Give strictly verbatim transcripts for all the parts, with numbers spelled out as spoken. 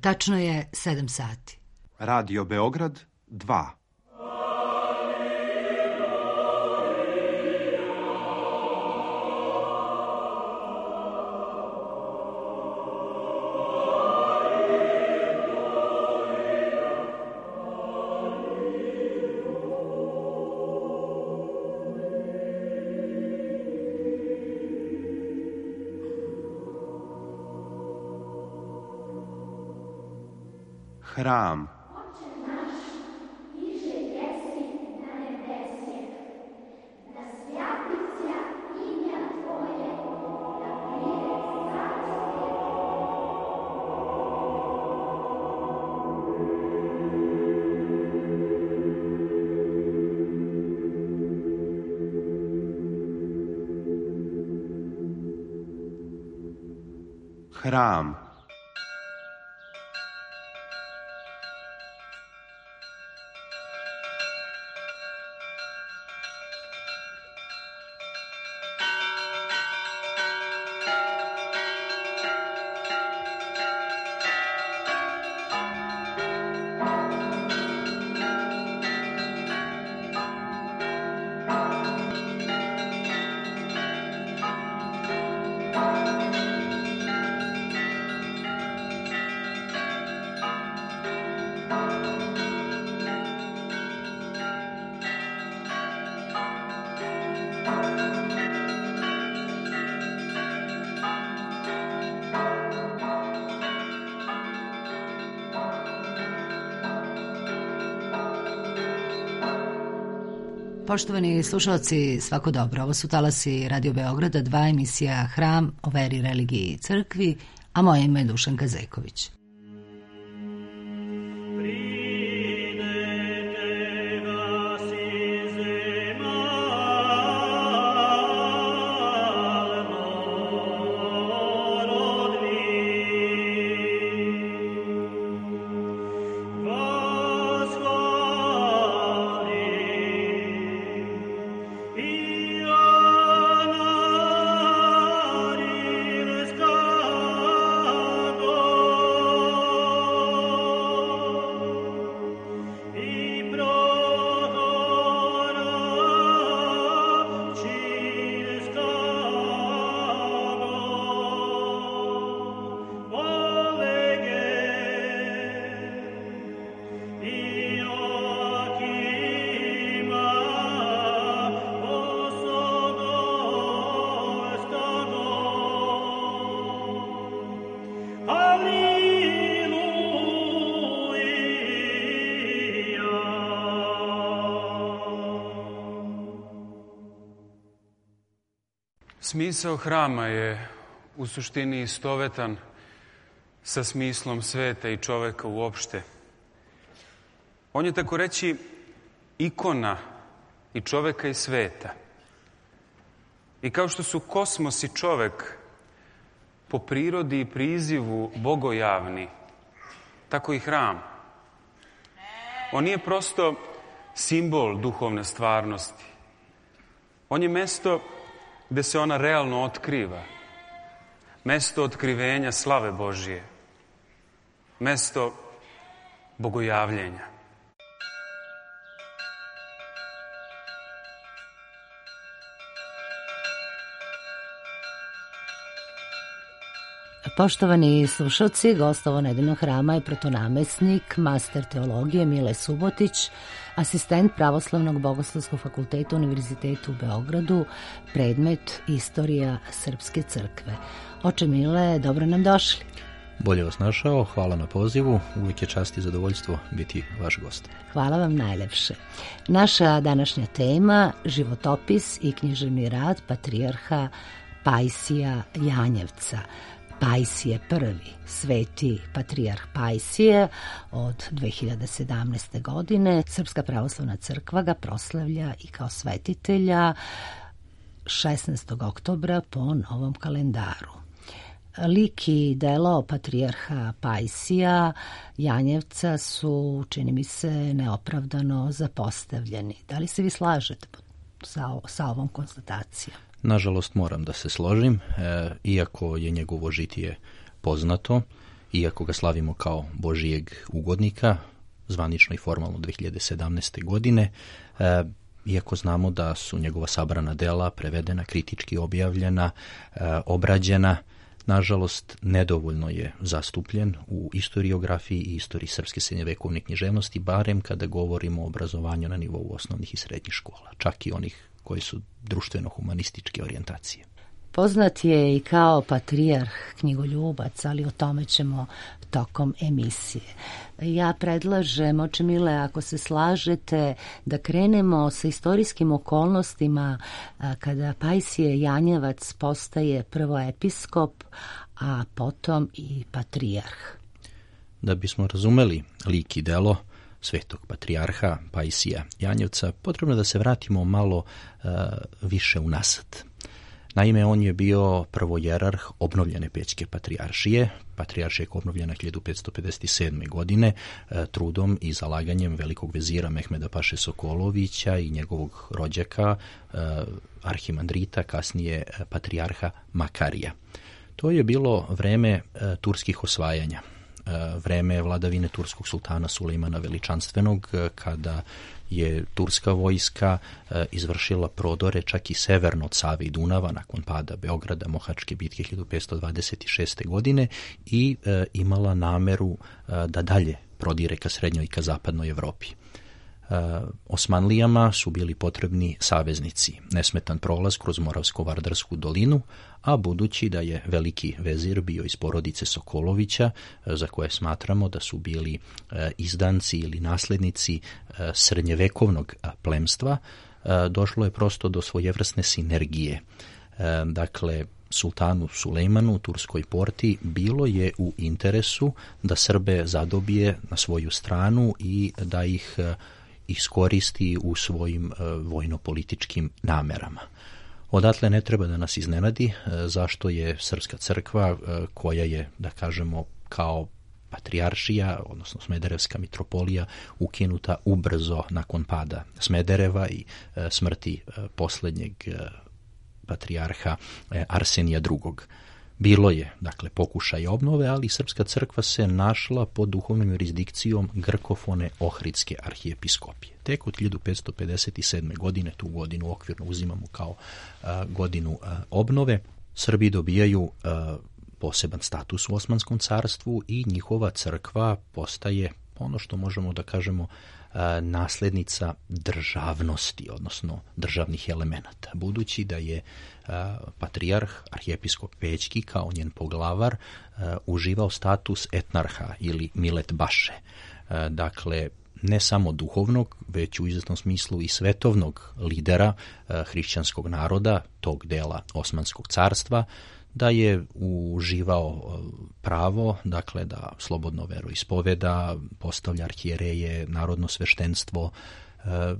Tačno je sedam sati. Radio Beograd dva. Hram. Hram. Poštovani slušalci, svako dobro. Ovo su talasi Radio Beograda, dva, emisija Hram o veri, religiji i crkvi, a moje ime je Dušanka Zeković. Smisao hrama je u suštini istovetan sa smislom sveta i čoveka uopšte. On je, tako reći, ikona i čoveka i sveta. I kao što su kosmos i čovek po prirodi i prizivu bogojavni, tako i hram. On nije prosto simbol duhovne stvarnosti. On je mesto gde se ona realno otkriva. Mesto otkrivenja slave Božije. Mesto bogojavljenja. Poštovani slušalci, gost ovo nedeljnog hrama je protonamesnik, master teologije Mile Subotić, asistent Pravoslavnog bogoslovskog fakulteta Univerzitetu u Beogradu, predmet Istorija Srpske crkve. Oče Mile, dobro nam došli. Bolje vas našao, hvala na pozivu, uvijek je čast i zadovoljstvo biti vaš gost. Hvala vam najlepše. Naša današnja tema, životopis i književni rad patrijarha Pajsija Janjevca. Pajsije prvi, sveti patrijarh Pajsije od dve hiljade sedamnaeste. godine. Srpska pravoslavna crkva ga proslavlja i kao svetitelja šesnaestog oktobra po novom kalendaru. Lik i delo patrijarha Pajsija Janjevca su, čini mi se, neopravdano zapostavljeni. Da li se vi slažete sa, sa ovom konstatacijom? Nažalost moram da se složim, e, iako je njegovo žitije poznato iako ga slavimo kao Božijeg ugodnika, zvanično i formalno dve hiljade sedamnaeste. godine, e, iako znamo da su njegova sabrana dela prevedena, kritički objavljena, e, obrađena, nažalost, nedovoljno je zastupljen u istoriografiji i istoriji srpske srednjevekovne književnosti, barem kada govorimo o obrazovanju na nivou osnovnih i srednjih škola, čak i onih koji su društveno-humanističke orijentacije. Poznat je i kao patrijarh knjigoljubac, ali o tome ćemo tokom emisije. Ja predlažem, oče mile, ako se slažete, da krenemo sa istorijskim okolnostima kada Pajsije Janjevac postaje prvo episkop, a potom i patrijarh. Da bismo razumeli lik i delo svetog patrijarha Pajsija Janjevca, potrebno da se vratimo malo uh, više unazad. Naime, on je bio prvojerarh obnovljene Pećke patrijaršije. Patrijaršija je obnovljena hiljadu petsto pedeset sedme. godine e, trudom i zalaganjem velikog vezira Mehmeda Paše Sokolovića i njegovog rođaka, e, arhimandrita, kasnije e, patrijarha Makarija. To je bilo vreme e, turskih osvajanja, e, vreme vladavine turskog sultana Sulejmana Veličanstvenog, e, kada je turska vojska e, izvršila prodore čak i severno od Save i Dunava nakon pada Beograda, Mohačke bitke hiljadu petsto dvadeset šeste. godine i e, imala nameru e, da dalje prodire ka srednjoj i ka zapadnoj Evropi. E, Osmanlijama su bili potrebni saveznici, nesmetan prolaz kroz Moravsko-Vardarsku dolinu, a budući da je veliki vezir bio iz porodice Sokolovića, za koje smatramo da su bili e, izdanci ili naslednici e, srednjevekovnog plemstva, e, došlo je prosto do svojevrsne sinergije. E, dakle, sultanu Sulejmanu u Turskoj Porti bilo je u interesu da Srbe zadobije na svoju stranu i da ih e, iskoristi u svojim e, vojno-političkim namerama. Odatle ne treba da nas iznenadi zašto je Srpska crkva, koja je, da kažemo, kao patrijaršija, odnosno Smederevska mitropolija, ukinuta ubrzo nakon pada Smedereva i smrti posljednjeg patrijarha Arsenija drugog. Bilo je, dakle, pokušaj obnove, ali Srpska crkva se našla pod duhovnom jurisdikcijom grkofone Ohridske arhijepiskopije. Tek od hiljadu petsto pedeset sedme. godine, tu godinu okvirno uzimamo kao a, godinu a, obnove, Srbi dobijaju a, poseban status u Osmanskom carstvu i njihova crkva postaje ono što možemo da kažemo a, nasljednica državnosti, odnosno državnih elemenata. Budući da je a, patrijarh, arhijepiskop Pećki, kao njen poglavar, a, uživao status etnarha ili milet baše. A, dakle, ne samo duhovnog, već u izvesnom smislu i svetovnog lidera a, hrišćanskog naroda, tog dela Osmanskog carstva, da je uživao pravo, dakle, da slobodno veroispoveda, postavlja arhijereje, narodno sveštenstvo, e,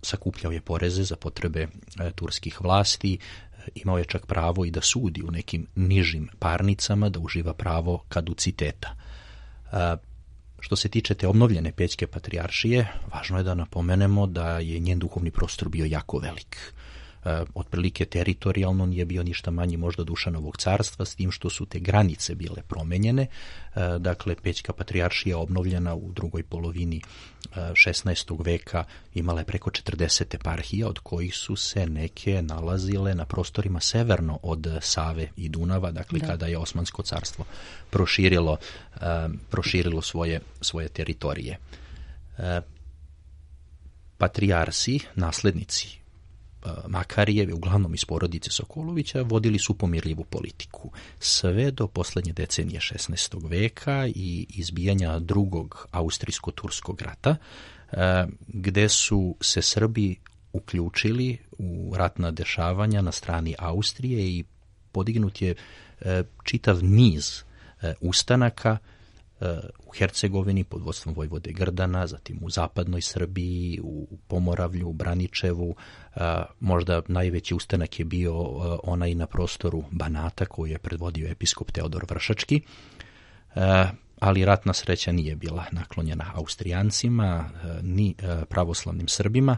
sakupljao je poreze za potrebe e, turskih vlasti, e, imao je čak pravo i da sudi u nekim nižim parnicama, da uživa pravo kaduciteta. E, Što se tiče te obnovljene Pećke patrijaršije, važno je da napomenemo da je njen duhovni prostor bio jako velik. E, otprilike teritorijalno nije bio ništa manji možda Dušanovog carstva, s tim što su te granice bile promenjene. E, dakle, Pećka patrijaršija obnovljena u drugoj polovini e, šesnaestog. veka imala je preko četrdeset eparhija, od kojih su se neke nalazile na prostorima severno od Save i Dunava, dakle da. Kada je Osmansko carstvo proširilo, e, proširilo svoje, svoje teritorije. E, patrijarsi, naslednici Makarijeve, uglavnom iz porodice Sokolovića, vodili su pomirljivu politiku. Sve do posljednje decenije šesnaestog. veka i izbijanja drugog austrijsko-turskog rata, gde su se Srbi uključili u ratna dešavanja na strani Austrije i podignut je čitav niz ustanaka u Hercegovini pod vodstvom vojvode Grdana, zatim u zapadnoj Srbiji, u Pomoravlju, u Braničevu. Možda najveći ustanak je bio onaj na prostoru Banata koju je predvodio episkop Teodor Vršački, ali ratna sreća nije bila naklonjena Austrijancima ni pravoslavnim Srbima,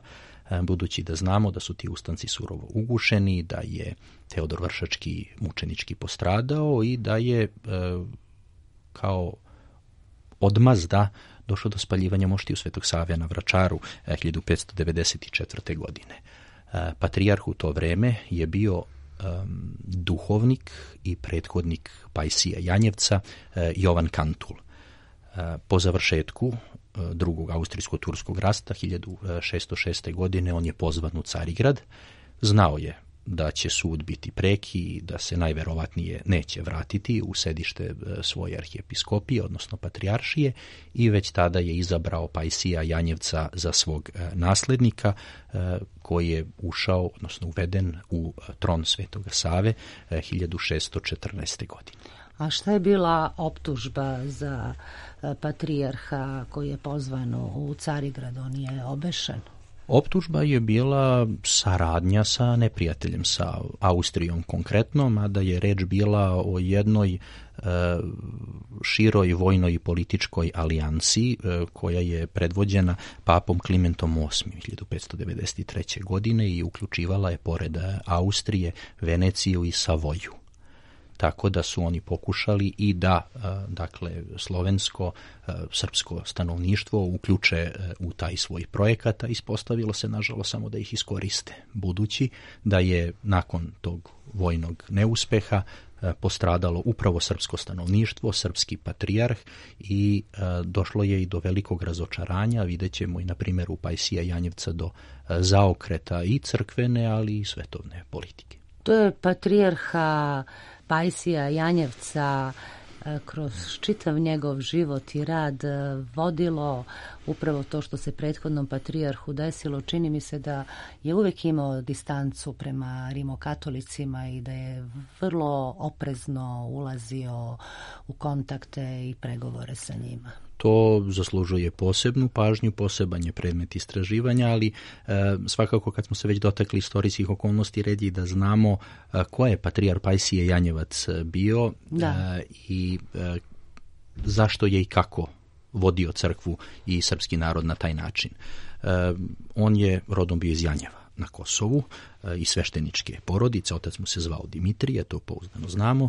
budući da znamo da su ti ustanci surovo ugušeni, da je Teodor Vršački mučenički postradao i da je kao odmazda došlo do spaljivanja moštiju Svetog Save na Vračaru hiljadu petsto devedeset četvrte. godine. Patrijarh u to vreme je bio um, duhovnik i prethodnik Pajsija Janjevca, uh, Jovan Kantul. Uh, po završetku uh, drugog austrijsko-turskog rata hiljadu šesto šeste. godine on je pozvan u Carigrad. Znao je da će sud biti preki i da se najverovatnije neće vratiti u sedište svoje arhijepiskopije, odnosno patrijaršije, i već tada je izabrao Pajsija Janjevca za svog naslednika, koji je ušao, odnosno uveden u tron Svetoga Save hiljadu šesto četrnaeste. godine. A šta je bila optužba za patrijarha koji je pozvan u Carigrad? On je obešen? Optužba je bila saradnja sa neprijateljem, sa Austrijom konkretno, mada je reč bila o jednoj e, široj vojnoj i političkoj alijansi e, koja je predvođena papom Klimentom osmim hiljadu petsto devedeset treće. godine i uključivala je pored Austrije, Veneciju i Savoju. Tako da su oni pokušali i da, dakle, slovensko, srpsko stanovništvo uključe u taj svoj projekat, a ispostavilo se, nažalost, samo da ih iskoriste, budući da je nakon tog vojnog neuspeha postradalo upravo srpsko stanovništvo, srpski patrijarh, i došlo je i do velikog razočaranja. Vidjet ćemo i na primjeru Pajsija Janjevca do zaokreta i crkvene, ali i svetovne politike. To je patrijarha Pajsija Janjevca kroz čitav njegov život i rad vodilo upravo to što se prethodnom patrijarhu desilo. Čini mi se da je uvijek imao distancu prema rimokatolicima i da je vrlo oprezno ulazio u kontakte i pregovore sa njima. To zaslužuje posebnu pažnju, poseban je predmet istraživanja, ali e, svakako kad smo se već dotakli istorijskih okolnosti, red je da znamo e, ko je patrijarh Pajsije Janjevac bio e, i e, zašto je i kako vodio crkvu i srpski narod na taj način. E, on je rodom bio iz Janjeva na Kosovu, e, iz svešteničke porodice, otac mu se zvao Dimitrije, to pouzdano znamo.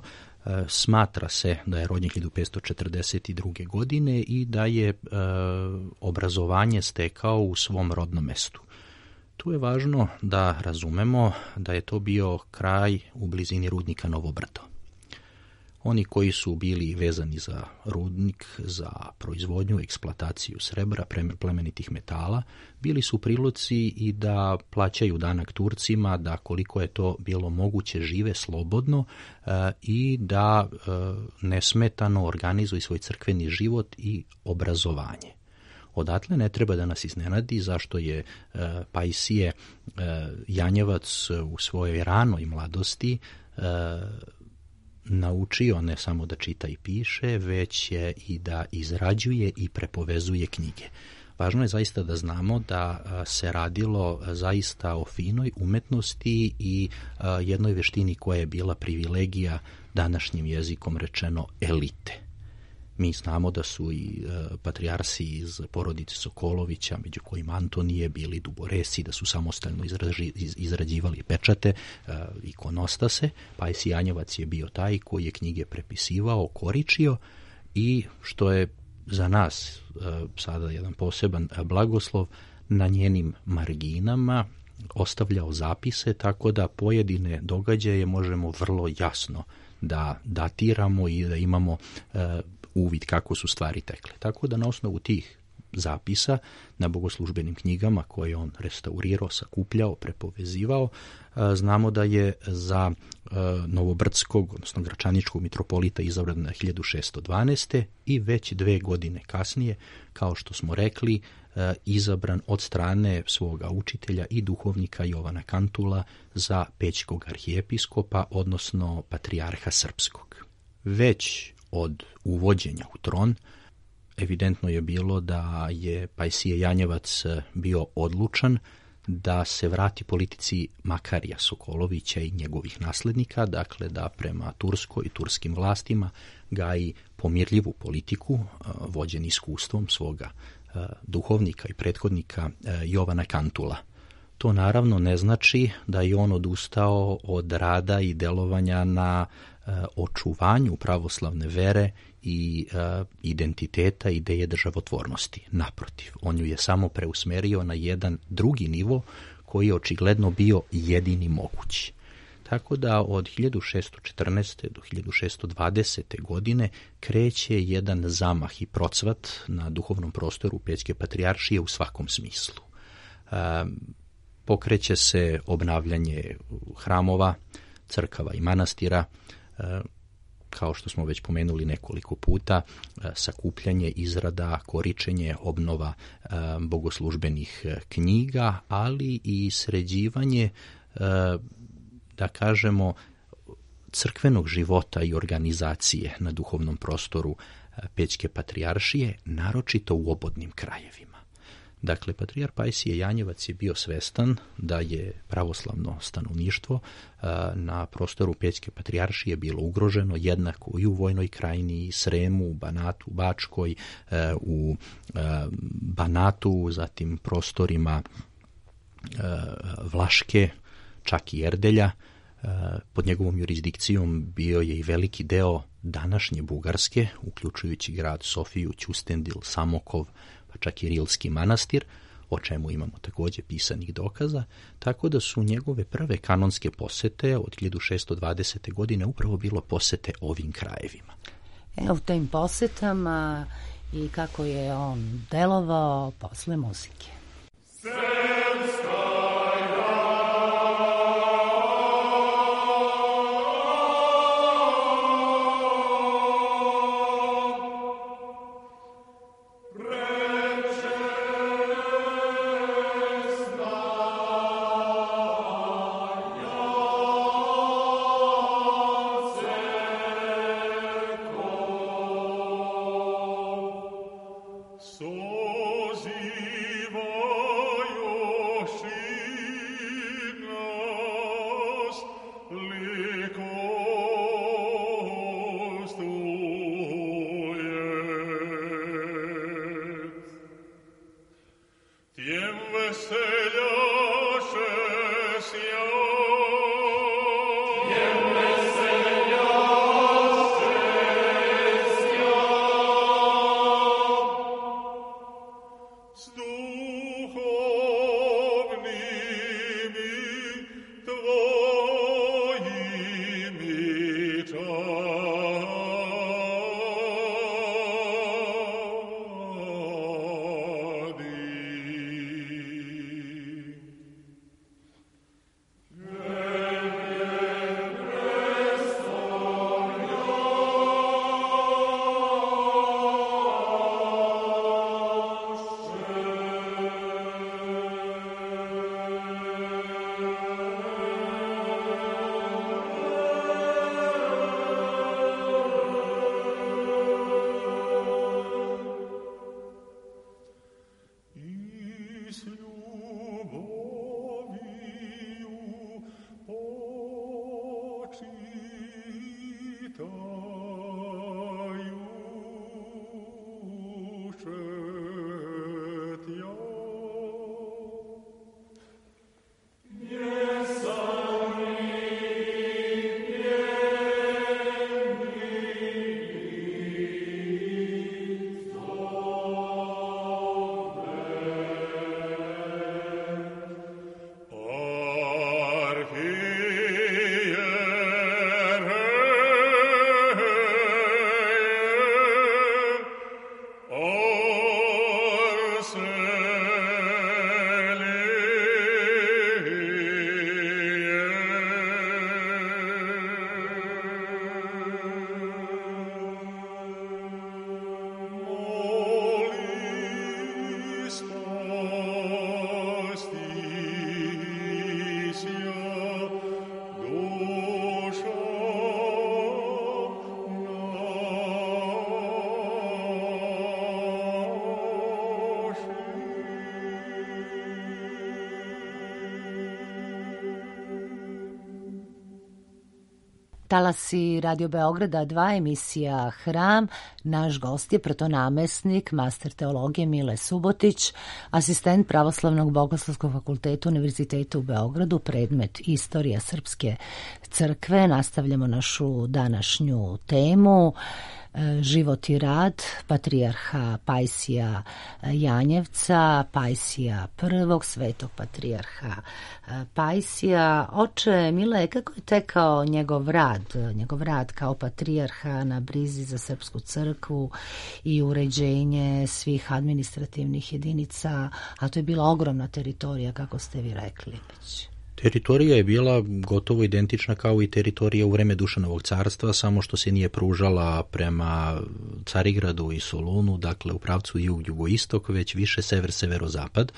Smatra se da je rođen hiljadu petsto četrdeset druge. godine i da je e, obrazovanje stekao u svom rodnom mestu. Tu je važno da razumemo da je to bio kraj u blizini rudnika Novo Brdo. Oni koji su bili vezani za rudnik, za proizvodnju, eksploataciju srebra, plemenitih metala, bili su u prilici i da plaćaju danak Turcima, da koliko je to bilo moguće žive slobodno e, i da e, nesmetano organizuju svoj crkveni život i obrazovanje. Odatle ne treba da nas iznenadi zašto je e, Pajsije e, Janjevac u svojoj ranoj mladosti e, naučio ne samo da čita i piše, već je i da izrađuje i prepovezuje knjige. Važno je zaista da znamo da se radilo zaista o finoj umetnosti i jednoj veštini koja je bila privilegija, današnjim jezikom rečeno, elite. Mi znamo da su i patrijarsi iz porodice Sokolovića, među kojima Antonije, bili duboresi, da su samostalno izraži, izrađivali pečate, ikonostase. Pajsij Janjevac je bio taj koji je knjige prepisivao, koričio i, što je za nas sada jedan poseban blagoslov, na njenim marginama ostavljao zapise, tako da pojedine događaje možemo vrlo jasno da datiramo i da imamo uvid kako su stvari tekle. Tako da na osnovu tih zapisa na bogoslužbenim knjigama koje on restaurirao, sakupljao, prepovezivao, znamo da je za novobrdskog, odnosno gračaničkog mitropolita izabran na hiljadu šesto dvanaeste. i već dve godine kasnije, kao što smo rekli, izabran od strane svoga učitelja i duhovnika Jovana Kantula za pećkog arhijepiskopa, odnosno patrijarha srpskog. Već od uvođenja u tron evidentno je bilo da je Pajsije Janjevac bio odlučan da se vrati politici Makarija Sokolovića i njegovih naslednika, dakle da prema Turskoj i turskim vlastima gaji pomirljivu politiku, vođen iskustvom svoga duhovnika i prethodnika Jovana Kantula. To naravno ne znači da je on odustao od rada i delovanja na očuvanju pravoslavne vere i uh, identiteta, ideje državotvornosti. Naprotiv, on ju je samo preusmerio na jedan drugi nivo koji je očigledno bio jedini mogući. Tako da od hiljadu šessto četrnaeste. do hiljadu šessto dvadesete. godine kreće jedan zamah i procvat na duhovnom prostoru Pećke patrijaršije u svakom smislu. Uh, pokreće se obnavljanje hramova, crkava i manastira, kao što smo već pomenuli nekoliko puta, sakupljanje, izrada, koričenje, obnova bogoslužbenih knjiga, ali i sređivanje, da kažemo, crkvenog života i organizacije na duhovnom prostoru Pećke patrijaršije, naročito u obodnim krajevima. Dakle, patrijar Pajsije Janjevac je bio svestan da je pravoslavno stanovništvo na prostoru Pećke patrijaršije bilo ugroženo jednako i u Vojnoj krajini, Sremu, Banatu, Bačkoj, u Banatu, zatim prostorima Vlaške, čak i Erdelja. Pod njegovom jurisdikcijom bio je i veliki deo današnje Bugarske, uključujući grad Sofiju, Ćustendil, Samokov, pa čak i Rilski manastir, o čemu imamo također pisanih dokaza, tako da su njegove prve kanonske posete od hiljadu šessto dvadesete. godine upravo bilo posete ovim krajevima. Evo, u tim posetama i kako je on delovao posle muzike. talasi Radio Beograda dva, emisija Hram. Naš gost je protonamesnik, master teologije Mile Subotić, asistent Pravoslavnog bogoslovskog fakulteta Univerziteta u Beogradu, predmet Istorija Srpske crkve. Nastavljamo našu današnju temu. Život i rad patrijarha Pajsija Janjevca, Pajsija prvog, svetog patrijarha Pajsija. Oče Mile, kako je tekao njegov rad, njegov rad kao patrijarha na brizi za Srpsku crkvu i uređenje svih administrativnih jedinica, a to je bila ogromna teritorija, kako ste vi rekli već? Teritorija je bila gotovo identična kao i teritorija u vreme Dušanovog carstva, samo što se nije pružala prema Carigradu i Solunu, dakle u pravcu jug-jugoistok, već više sever-severozapad,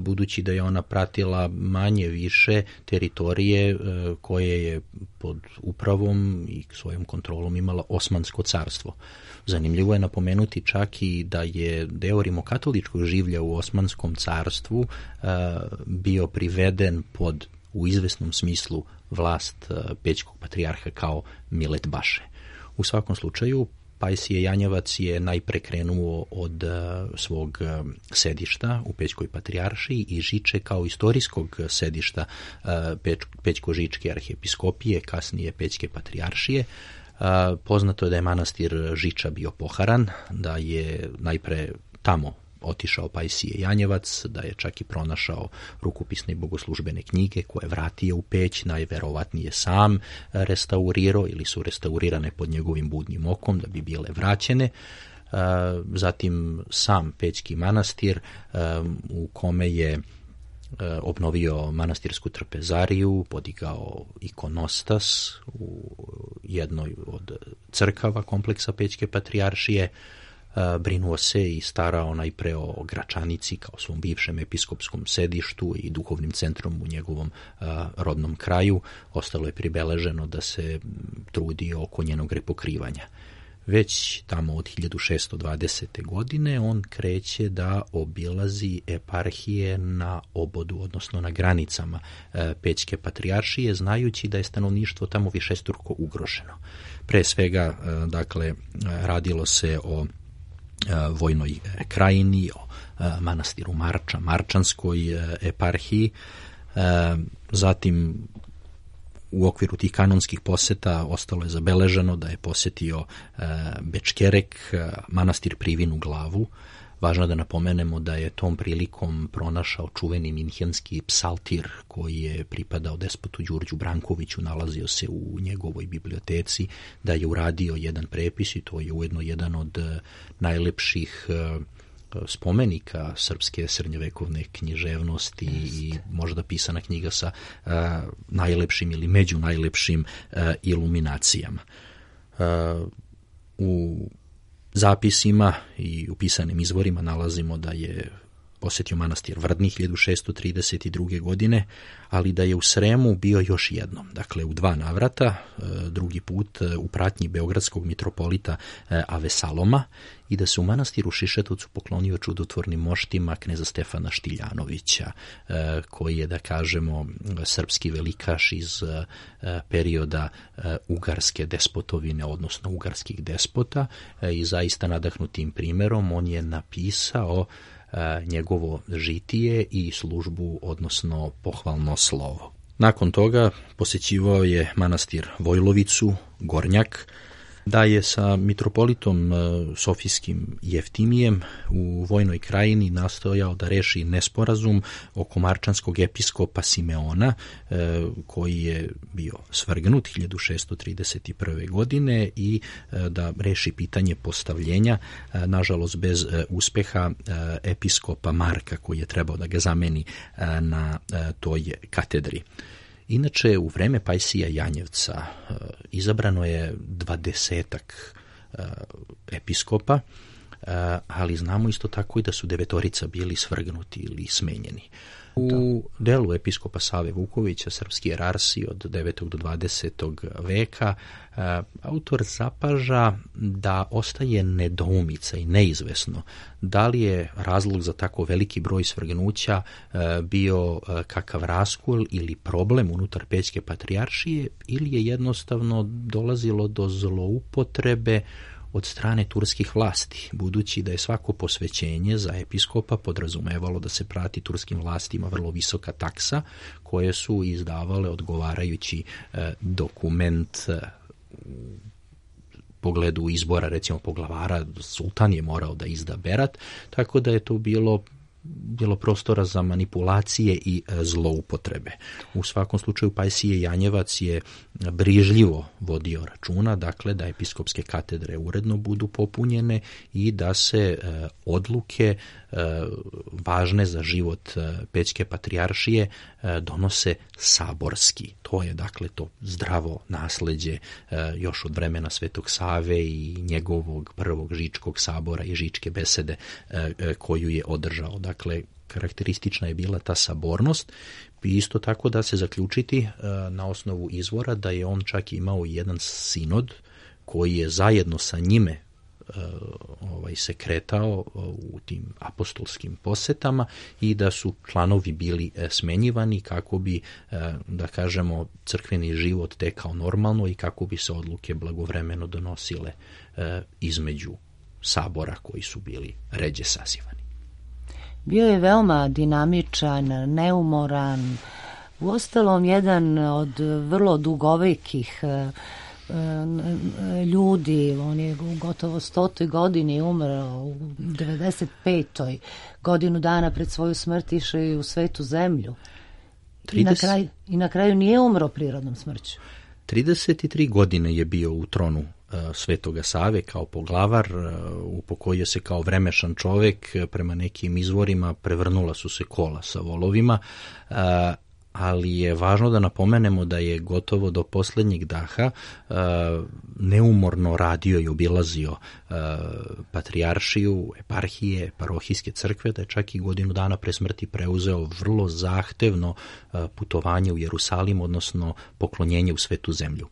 budući da je ona pratila manje više teritorije koje je pod upravom i svojom kontrolom imala Osmansko carstvo. Zanimljivo je napomenuti čak i da je deo rimokatoličkog življa u Osmanskom carstvu bio priveden pod u izvesnom smislu vlast pećkog patrijarha kao Milet Baše. U svakom slučaju, Pajsije Janjevac je najpre krenuo od svog sedišta u Pećkoj patrijaršiji i Žiče kao istorijskog sedišta Pećko-Žičke arhijepiskopije, kasnije Pećke patrijaršije. Poznato je da je manastir Žiča bio poharan, da je najpre tamo otišao Pajsije Janjevac, da je čak i pronašao rukopisne i bogoslužbene knjige koje vratio u Peć, najverovatnije sam restaurirao ili su restaurirane pod njegovim budnim okom da bi bile vraćene. Zatim sam Pećki manastir u kome je obnovio manastirsku trpezariju, podigao ikonostas u jednoj od crkava kompleksa Pećke patrijaršije, brinuo se i starao najpre o Gračanici kao svom bivšem episkopskom sedištu i duhovnim centrom u njegovom rodnom kraju. Ostalo je pribeleženo da se trudi oko njenog repokrivanja. Već tamo od hiljadu šessto dvadesete. godine on kreće da obilazi eparhije na obodu, odnosno na granicama Pećke patrijaršije, znajući da je stanovništvo tamo višestruko ugroženo. Pre svega, dakle, radilo se o Vojnoj krajini, o manastiru Marča, Marčanskoj eparhiji. Zatim, u okviru tih kanonskih poseta ostalo je zabeleženo da je posetio Bečkerek, manastir Privinu glavu. Važno da napomenemo da je tom prilikom pronašao čuveni minhenski psaltir koji je pripadao despotu Đurđu Brankoviću, nalazio se u njegovoj biblioteci, da je uradio jedan prepis i to je ujedno jedan od najlepših spomenika srpske srednjovekovne književnosti i možda pisana knjiga sa uh, najlepšim ili među najlepšim uh, iluminacijama. Uh, u zapisima i u pisanim izvorima nalazimo da je posjetio manastir Vrdni hiljadu šessto trideset druge. godine, ali da je u Sremu bio još jednom, dakle u dva navrata, drugi put u pratnji beogradskog mitropolita Avesaloma, i da se u manastiru Šišetovcu poklonio čudotvornim moštima kneza Stefana Štiljanovića, koji je, da kažemo, srpski velikaš iz perioda ugarske despotovine, odnosno ugarskih despota, i zaista nadahnutim primerom on je napisao njegovo žitije i službu, odnosno pohvalno slovo. Nakon toga posjećivao je manastir Vojlovicu, Gornjak, da je sa mitropolitom Sofijskim Jeftimijem u Vojnoj krajini nastojao da reši nesporazum oko marčanskog episkopa Simeona, koji je bio svrgnut hiljadu šessto trideset prve. godine i da reši pitanje postavljenja, nažalost bez uspeha, episkopa Marka, koji je trebao da ga zameni na toj katedri. Inače, u vreme Pajsija Janjevca izabrano je dvadesetak episkopa, ali znamo isto tako i da su devetorica bili svrgnuti ili smenjeni. U delu episkopa Save Vukovića, Srpski jerarsi od devetog do dvadesetog veka, autor zapaža da ostaje nedoumica i neizvesno da li je razlog za tako veliki broj svrgnuća bio kakav raskol ili problem unutar Pećke patrijaršije ili je jednostavno dolazilo do zloupotrebe od strane turskih vlasti, budući da je svako posvećenje za episkopa podrazumevalo da se prati turskim vlastima vrlo visoka taksa, koje su izdavale odgovarajući e, dokument e, u pogledu izbora, recimo poglavara, sultan je morao da izda berat, tako da je to bilo bilo prostora za manipulacije i zloupotrebe. U svakom slučaju Pajsije Janjevac je brižljivo vodio računa, dakle da episkopske katedre uredno budu popunjene i da se e, odluke e, važne za život e, Pećke patrijaršije e, donose saborski. To je dakle to zdravo nasleđe e, još od vremena Svetog Save i njegovog prvog Žičkog sabora i Žičke besede e, e, koju je održao. Dakle, karakteristična je bila ta sabornost i isto tako da se zaključiti e, na osnovu izvora da je on čak imao jedan sinod koji je zajedno sa njime e, ovaj, se kretao u tim apostolskim posetama i da su članovi bili e, smenjivani kako bi, e, da kažemo, crkveni život tekao normalno i kako bi se odluke blagovremeno donosile e, između sabora koji su bili ređe sazivani. Bio je veoma dinamičan, neumoran, uostalom jedan od vrlo dugovekih ljudi. On je u gotovo stotoj godini umrao, u devedeset petoj godinu dana pred svoju smrt išao i u svetu zemlju. I na, kraju, I na kraju nije umro prirodnom smrću. trideset tri godine je bio u tronu Svetoga Save kao poglavar, upokojio se kao vremešan čovek, prema nekim izvorima prevrnula su se kola sa volovima, ali je važno da napomenemo da je gotovo do poslednjeg daha neumorno radio i obilazio patrijaršiju, eparhije, parohijske crkve, da je čak i godinu dana pre smrti preuzeo vrlo zahtevno putovanje u Jerusalim, odnosno poklonjenje u Svetu zemlju.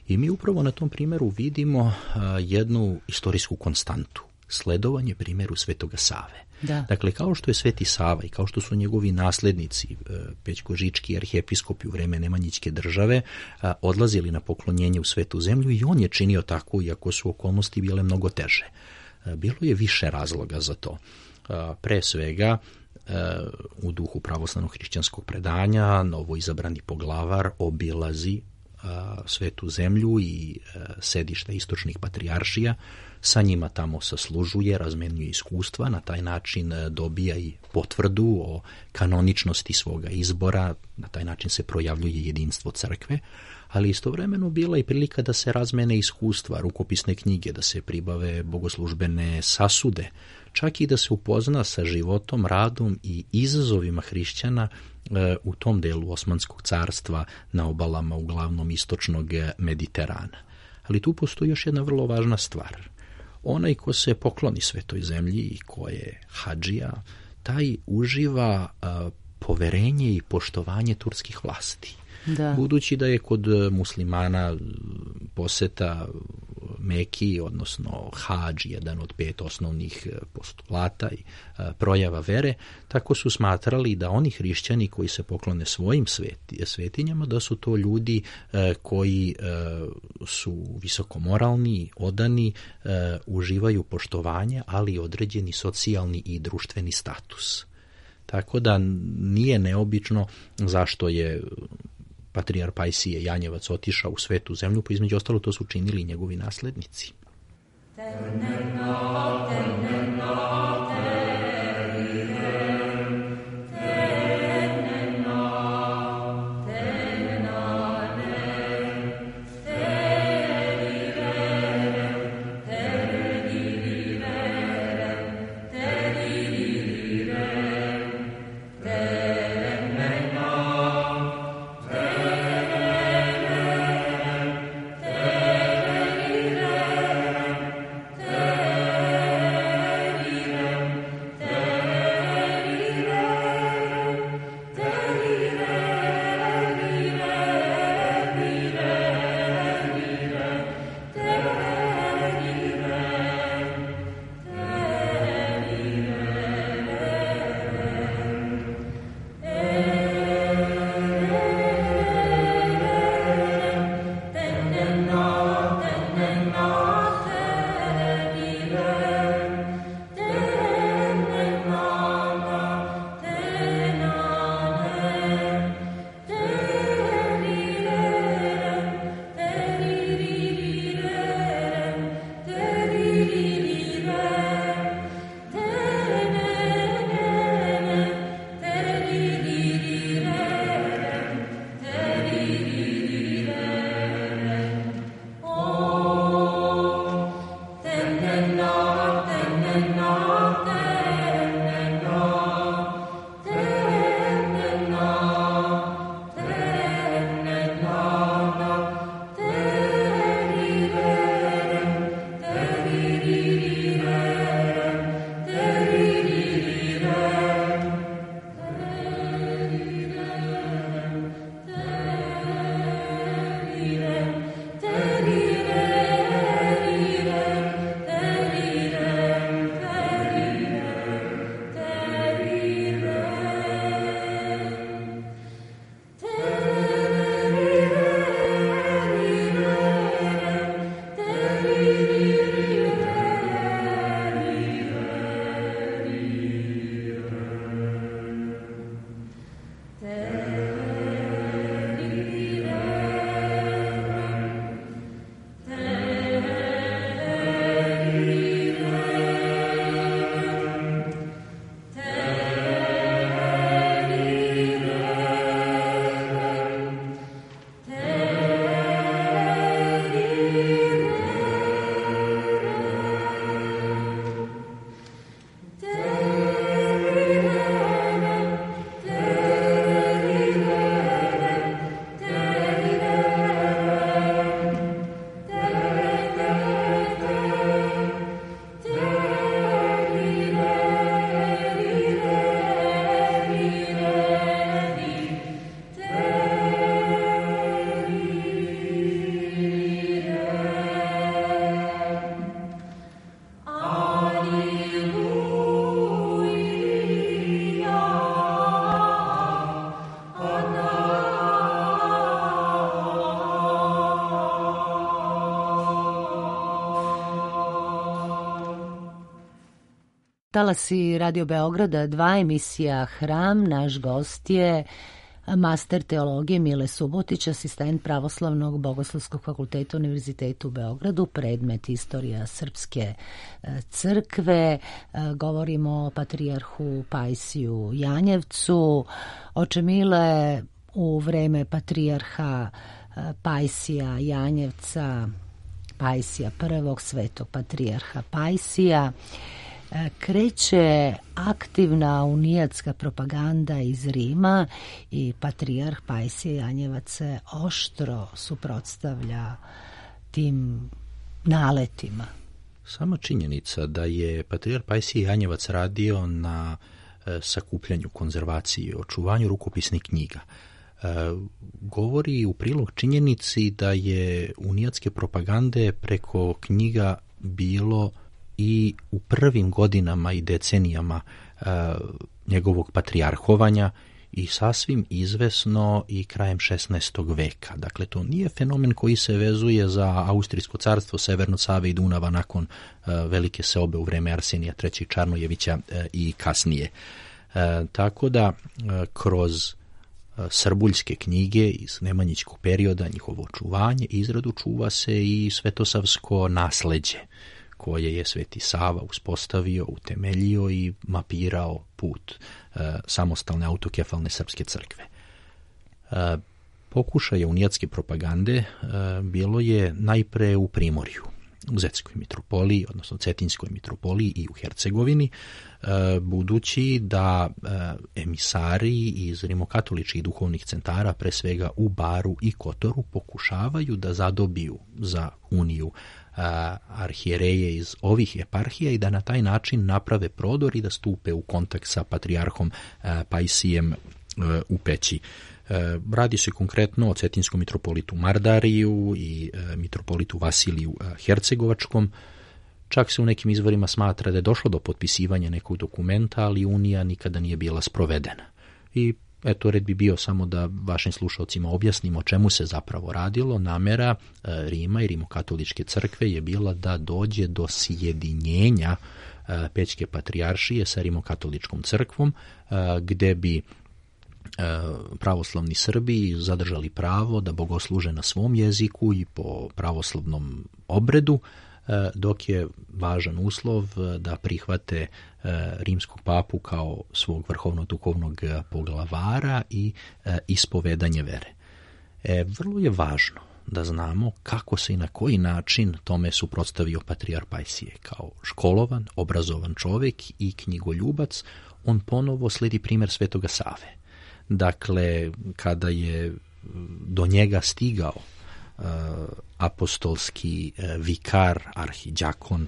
I mi upravo na tom primjeru vidimo a, jednu istorijsku konstantu, sledovanje primjeru Svetoga Save. Da. Dakle, kao što je Sveti Sava i kao što su njegovi naslednici, e, pećkožički arhijepiskopi u vreme Nemanjićke države, a, odlazili na poklonjenje u Svetu zemlju i on je činio tako, iako su okolnosti bile mnogo teže. A, bilo je više razloga za to. A, pre svega, a, u duhu pravoslavnog hrišćanskog predanja, novo izabrani poglavar obilazi Svetu zemlju i sedišta istočnih patrijaršija, sa njima tamo saslužuje, razmenjuje iskustva, na taj način dobija i potvrdu o kanoničnosti svoga izbora, na taj način se projavljuje jedinstvo crkve, ali istovremeno bila i prilika da se razmene iskustva, rukopisne knjige, da se pribave bogoslužbene sasude, čak i da se upozna sa životom, radom i izazovima hrišćana u tom delu Osmanskog carstva na obalama uglavnom istočnog Mediterana. Ali tu postoji još jedna vrlo važna stvar. Onaj ko se pokloni Svetoj zemlji i ko je hadžija, taj uživa a, poverenje i poštovanje turskih vlasti. Da. Budući da je kod muslimana poseta Meki, odnosno hadž, jedan od pet osnovnih postulata i a, projava vere, tako su smatrali da oni hrišćani koji se poklone svojim sveti, svetinjama, da su to ljudi a, koji a, su visokomoralni, odani, a, uživaju poštovanje, ali i određeni socijalni i društveni status. Tako da nije neobično zašto je patrijar Pajsije Janjevac otišao u Svetu zemlju, pa između ostalo to su činili i njegovi naslednici. talasi Radio Beograda, dva emisija Hram. Naš gost je master teologije Mile Subotić, asistent Pravoslavnog bogoslovskog fakulteta Univerziteta u Beogradu, predmet Istorija Srpske crkve. Govorimo o patrijarhu Pajsiju Janjevcu. Oče Mile, u vreme patrijarha Pajsija Janjevca, Pajsija prvog, svetog patrijarha Pajsija, kreće aktivna unijatska propaganda iz Rima i patrijarh Pajsije Janjevac se oštro suprotstavlja tim naletima. Sama činjenica da je patrijarh Pajsije Janjevac radio na e, sakupljanju, konzervaciji, očuvanju rukopisnih knjiga e, govori u prilog činjenici da je unijatske propagande preko knjiga bilo i u prvim godinama i decenijama e, njegovog patrijarhovanja i sasvim izvesno i krajem šesnaestog veka. Dakle, to nije fenomen koji se vezuje za Austrijsko carstvo, Severno Save i Dunava nakon e, velike seobe u vreme Arsenija trećeg Čarnojevića e, i kasnije. E, tako da, e, kroz e, srbuljske knjige iz nemanjićkog perioda, njihovo očuvanje i izradu čuva se i svetosavsko nasleđe, koje je Sveti Sava uspostavio, utemeljio i mapirao put e, samostalne autokefalne srpske crkve. E, pokušaje unijatske propagande e, bilo je najpre u Primorju, u Zetskoj mitropoliji, odnosno Cetinskoj mitropoliji i u Hercegovini, e, budući da e, emisari iz rimokatoličkih duhovnih centara, pre svega u Baru i Kotoru, pokušavaju da zadobiju za uniju arhijereje iz ovih eparhija i da na taj način naprave prodor i da stupe u kontakt sa patrijarhom Pajsijem u Peći. Radi se konkretno o cetinskom mitropolitu Mardariju i mitropolitu Vasiliju Hercegovačkom. Čak se u nekim izvorima smatra da je došlo do potpisivanja nekog dokumenta, ali unija nikada nije bila sprovedena. I eto, red bi bio samo da vašim slušalcima objasnimo o čemu se zapravo radilo. Namera e, Rima i rimokatoličke crkve je bila da dođe do sjedinjenja e, Pećke patrijaršije sa rimokatoličkom crkvom, e, gde bi e, pravoslavni Srbi zadržali pravo da bogosluže na svom jeziku i po pravoslavnom obredu, dok je važan uslov da prihvate rimskog papu kao svog vrhovnog duhovnog poglavara i ispovedanje vere. E, vrlo je važno da znamo kako se i na koji način tome suprotstavio patrijarh Pajsije. Kao školovan, obrazovan čovjek i knjigoljubac, on ponovo slijedi primjer Svetoga Save. Dakle, kada je do njega stigao apostolski vikar, arhidjakon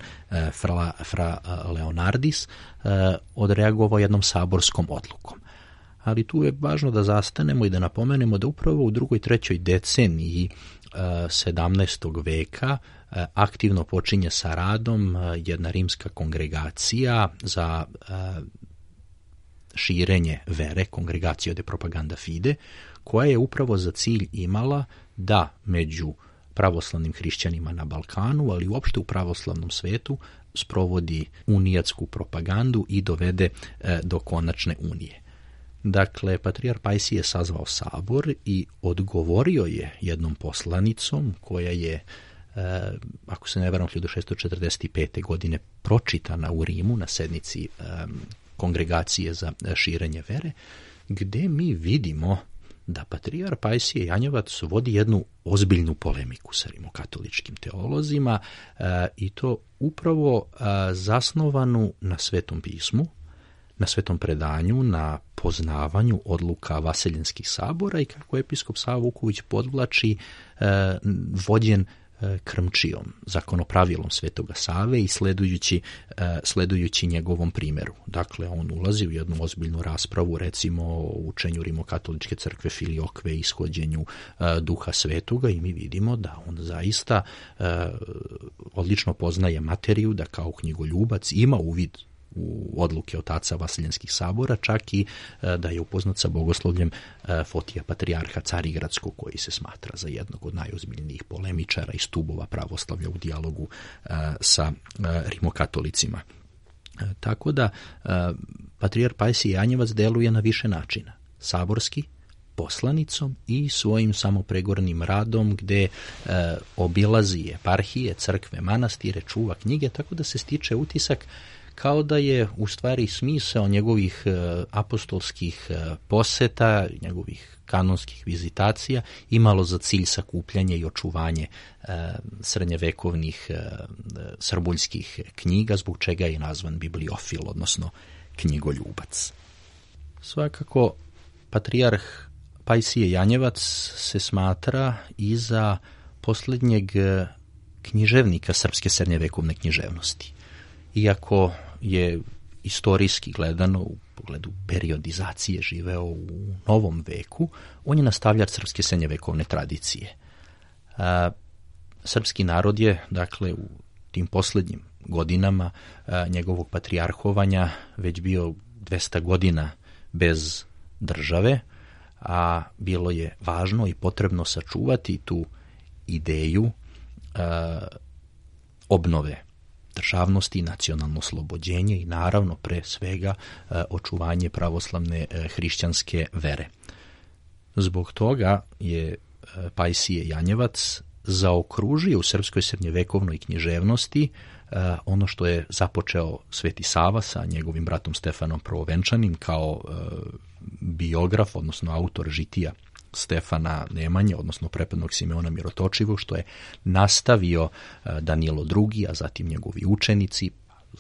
fra, fra Leonardis, odreagovao jednom saborskom odlukom. Ali tu je važno da zastanemo i da napomenemo da upravo u drugoj, trećoj deceniji sedamnaestog veka aktivno počinje sa radom jedna rimska kongregacija za širenje vere, Congregatio de Propaganda Fide, koja je upravo za cilj imala da među pravoslavnim hrišćanima na Balkanu, ali uopšte u pravoslavnom svetu, sprovodi unijatsku propagandu i dovede e, do konačne unije. Dakle, patrijarh Pajsije je sazvao sabor i odgovorio je jednom poslanicom koja je, e, ako se ne varam, hiljadu šesto četrdeset pete. godine pročitana u Rimu na sednici e, Kongregacije za širenje vere, gde mi vidimo da patrijarh Pajsije Janjevac vodi jednu ozbiljnu polemiku sa rimokatoličkim teolozima e, i to upravo e, zasnovanu na Svetom pismu, na svetom predanju, na poznavanju odluka vaseljenskih sabora i kako episkop Sava Vuković podvlači e, vođen e, krmčijom, zakonopravilom Svetoga Save i sledujući, e, sledujući njegovom primjeru. Dakle, on ulazi u jednu ozbiljnu raspravu, recimo o učenju rimokatoličke crkve Filiokve, ishođenju e, Duha Svetoga, i mi vidimo da on zaista e, odlično poznaje materiju, da kao knjigoljubac ima uvid u odluke otaca vaseljenskih sabora, čak i e, da je upoznat sa bogoslovljem e, Fotija patrijarha Carigradskog, koji se smatra za jednog od najozbiljnijih polemičara i stubova pravoslavlja u dijalogu e, sa e, rimokatolicima. Tako da patrijarh Pajsije Janjevac deluje na više načina. Saborski, poslanicom i svojim samopregornim radom gde e, obilazi eparhije, crkve, manastire, čuva knjige, tako da se stiče utisak kao da je u stvari smisao njegovih e, apostolskih e, poseta, njegovih kanonskih vizitacija imalo za cilj sakupljanje i očuvanje e, srednjevekovnih e, srbuljskih knjiga, zbog čega je nazvan bibliofil, odnosno knjigoljubac. Svakako, patrijarh Pajsije Janjevac se smatra i za posljednjeg književnika srpske srednjevekovne književnosti. Iako je istorijski gledano u pogledu periodizacije živeo u novom veku, on je nastavljač srpske srednjevekovne tradicije. A, srpski narod je, dakle, u tim posljednjim godinama a, njegovog patrijarhovanja već bio dvesta godina bez države, a bilo je važno i potrebno sačuvati tu ideju a, obnove državnosti, nacionalno oslobođenje i naravno pre svega a, očuvanje pravoslavne a, hrišćanske vere. Zbog toga je a, Pajsije Janjevac zaokružio u srpskoj srednjevekovnoj književnosti Uh, ono što je započeo Sveti Sava sa njegovim bratom Stefanom Prvovenčanim kao uh, biograf, odnosno autor žitija Stefana Nemanje, odnosno prepadnog Simeona Mirotočivog, što je nastavio uh, Danilo drugi, a zatim njegovi učenici,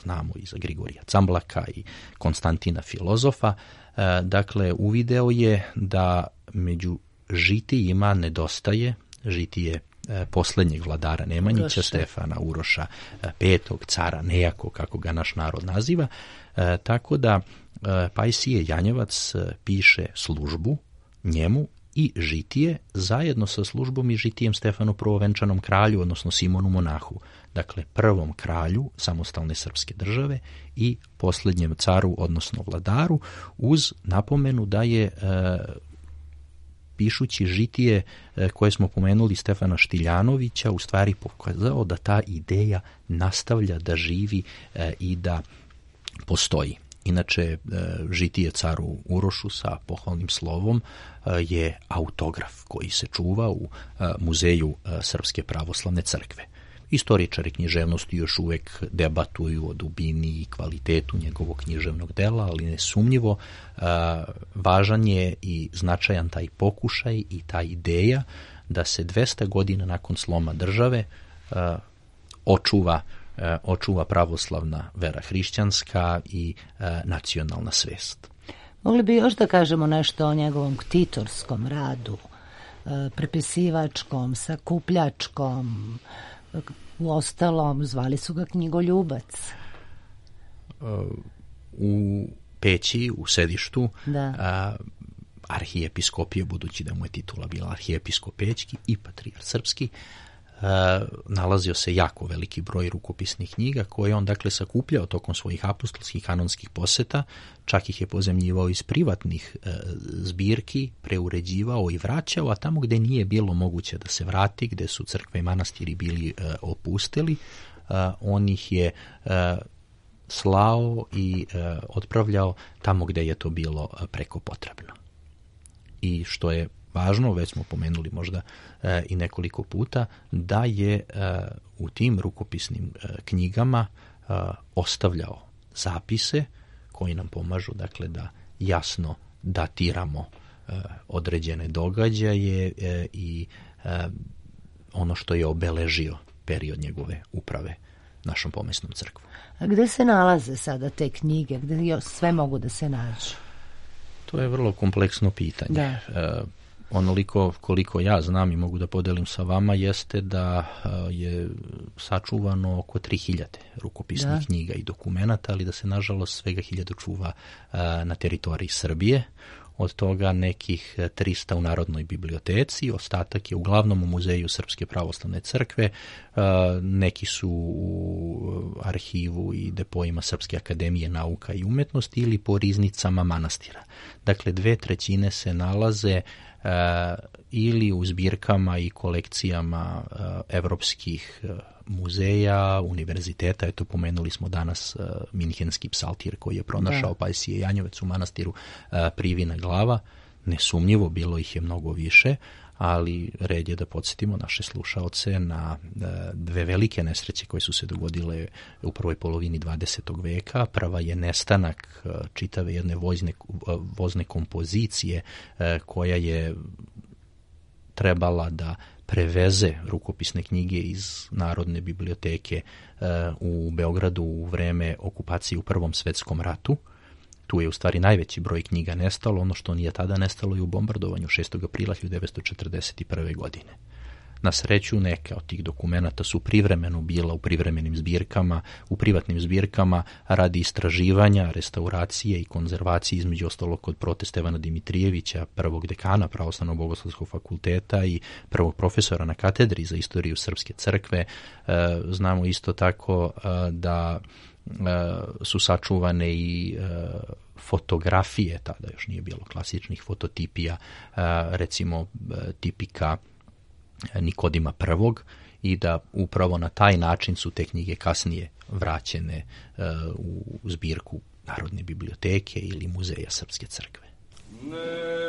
znamo i za Grigorija Camblaka i Konstantina Filozofa. Uh, dakle, uvideo je da među žitijima nedostaje žitije posljednjeg vladara Nemanjića, Uroša. Stefana Uroša petog, cara Nejako, kako ga naš narod naziva. E, tako da e, Pajsije Janjevac piše službu njemu i žitije zajedno sa službom i žitijem Stefanu Prvovenčanom kralju, odnosno Simonu Monahu. Dakle, prvom kralju samostalne srpske države i posljednjem caru, odnosno vladaru, uz napomenu da je e, pišući žitije koje smo pomenuli Stefana Štiljanovića, u stvari pokazao da ta ideja nastavlja da živi i da postoji. Inače, žitije caru Urošu sa pohvalnim slovom je autograf koji se čuva u muzeju Srpske pravoslavne crkve. Istoričari književnosti još uvek debatuju o dubini i kvalitetu njegovog književnog dela, ali nesumnjivo uh, važan je i značajan taj pokušaj i ta ideja da se dvesta godina nakon sloma države uh, očuva, uh, očuva pravoslavna vera hrišćanska i uh, nacionalna svest. Mogli bi još da kažemo nešto o njegovom ktitorskom radu, uh, prepisivačkom, sakupljačkom. U ostalom, zvali su ga knjigoljubac. U Peći, u sedištu, da. a, arhijepiskopije, budući da mu je titula bila arhijepiskop pećki i patrijarh srpski, a, nalazio se jako veliki broj rukopisnih knjiga koje on dakle sakupljao tokom svojih apostolskih kanonskih poseta, čak ih je pozemljivao iz privatnih e, zbirki, preuređivao i vraćao, a tamo gde nije bilo moguće da se vrati, gde su crkve i manastiri bili e, opustili, e, on ih je e, slao i e, otpravljao tamo gde je to bilo preko potrebno. I što je važno, već smo pomenuli možda e, i nekoliko puta, da je e, u tim rukopisnim e, knjigama e, ostavljao zapise koji nam pomažu, dakle, da jasno datiramo e, određene događaje e, i e, ono što je obeležio period njegove uprave našom pomesnom crkvom. A gde se nalaze sada te knjige? Gde sve mogu da se nađu? To je vrlo kompleksno pitanje. Da. E, onoliko koliko ja znam i mogu da podelim sa vama jeste da je sačuvano oko tri hiljade rukopisnih da. knjiga i dokumenata, ali da se nažalost svega hiljadu čuva na teritoriji Srbije. Od toga nekih trista u Narodnoj biblioteci, ostatak je uglavnom u Muzeju Srpske pravoslavne crkve, neki su u arhivu i depojima Srpske akademije nauka i umetnosti ili po riznicama manastira. Dakle, dve trećine se nalaze ili u zbirkama i kolekcijama evropskih muzeja, univerziteta. Eto, pomenuli smo danas uh, Minhenski psaltir koji je pronašao da. Pajsije Janjevac u manastiru uh, Privina glava. Nesumnjivo, bilo ih je mnogo više, ali red je da podsjetimo naše slušaoce na dve velike nesreće koje su se dogodile u prvoj polovini dvadesetog veka. Prva je nestanak čitave jedne vozne, vozne kompozicije koja je trebala da preveze rukopisne knjige iz Narodne biblioteke u Beogradu u vreme okupacije u Prvom svetskom ratu. Tu je u stvari najveći broj knjiga nestalo, ono što nije tada nestalo i u bombardovanju šestog aprila hiljadu devetsto četrdeset prve. godine. Na sreću, neke od tih dokumenata su privremeno bila u privremenim zbirkama, u privatnim zbirkama radi istraživanja, restauracije i konzervacije, između ostalog kod prote Stevana Dimitrijevića, prvog dekana Pravoslavnog bogoslovskog fakulteta i prvog profesora na katedri za istoriju Srpske crkve. E, znamo isto tako e, da su sačuvane i fotografije, tada još nije bilo klasičnih fototipija, recimo tipika Nikodima prvog, i da upravo na taj način su te knjige kasnije vraćene u zbirku Narodne biblioteke ili Muzeja Srpske crkve. Ne.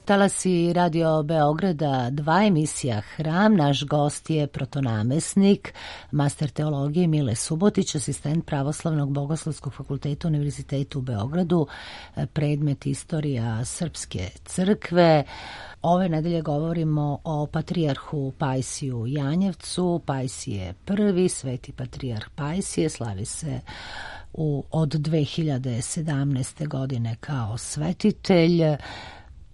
Talasi Radio Beograda, dva emisija Hram. Naš gost je protonamesnik, master teologije Mile Subotić, asistent Pravoslavnog bogoslovskog fakulteta Univerziteta u Beogradu, predmet istorija Srpske crkve. Ove nedelje govorimo o patrijarhu Pajsiju Janjevcu. Pajsije prvi, sveti patrijarh Pajsije, slavi se u, od dve hiljade sedamnaeste. godine kao svetitelj.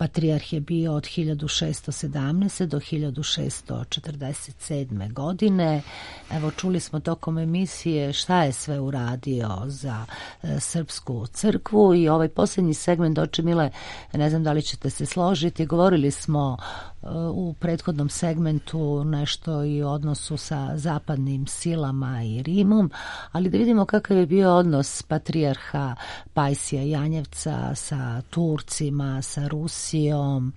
patrijarh je bio od hiljadu šesto sedamnaeste. do hiljadu šesto četrdeset sedme. godine. Evo, čuli smo tokom emisije šta je sve uradio za e, srpsku crkvu i ovaj posljednji segment, oče Mile, ne znam da li ćete se složiti, govorili smo e, u prethodnom segmentu nešto i o odnosu sa zapadnim silama i Rimom, ali da vidimo kakav je bio odnos patrijarha Pajsija Janjevca sa Turcima, sa Rusijom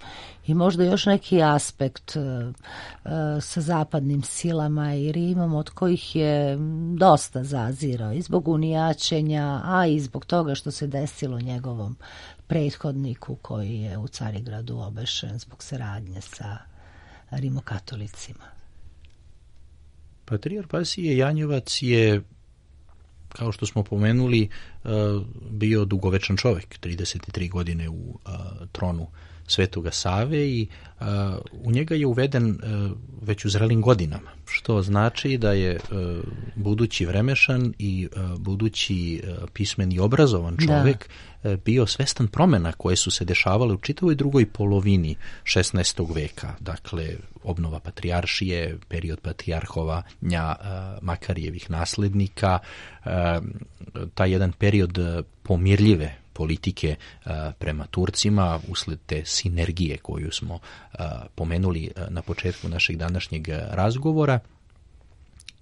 i možda još neki aspekt uh, sa zapadnim silama i Rimom od kojih je dosta zazirao i zbog unijaćenja, a i zbog toga što se desilo njegovom prethodniku koji je u Carigradu obešen zbog saradnje sa rimokatolicima. Patrijarh Pajsije Janjevac je, kao što smo pomenuli, bio dugovečan čovjek, trideset tri godine u tronu Svetoga Save i u njega je uveden već u zrelim godinama, što znači da je budući vremešan i budući pismeni i obrazovan čovjek da. bio svestan promjena koje su se dešavale u čitavoj drugoj polovini šesnaestog veka, dakle obnova patrijaršije, period patrijarhovanja Makarijevih naslednika, taj jedan period pomirljive politike a, prema Turcima usled te sinergije koju smo a, pomenuli a, na početku našeg današnjeg razgovora.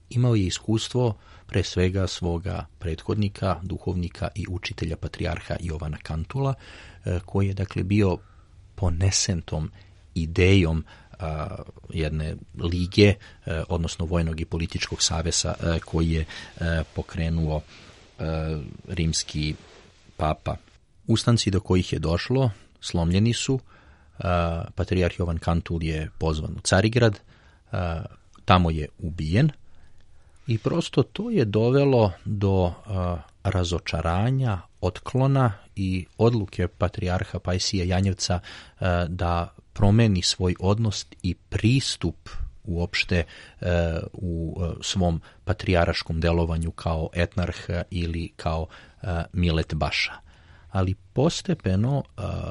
Imao je iskustvo pre svega svoga prethodnika, duhovnika i učitelja patrijarha Jovana Kantula, a, koji je dakle bio ponesen tom idejom a, jedne lige, a, odnosno vojnog i političkog saveza a, koji je a, pokrenuo a, rimski papa. Ustanci do kojih je došlo slomljeni su, a, patrijarh Jovan Kantul je pozvan u Carigrad, a, tamo je ubijen i prosto to je dovelo do a, razočaranja, otklona i odluke patrijarha Pajsija Janjevca a, da promeni svoj odnos i pristup uopšte a, u a, svom patrijaraškom delovanju kao etnarh ili kao a, Milet Baša. Ali postepeno a,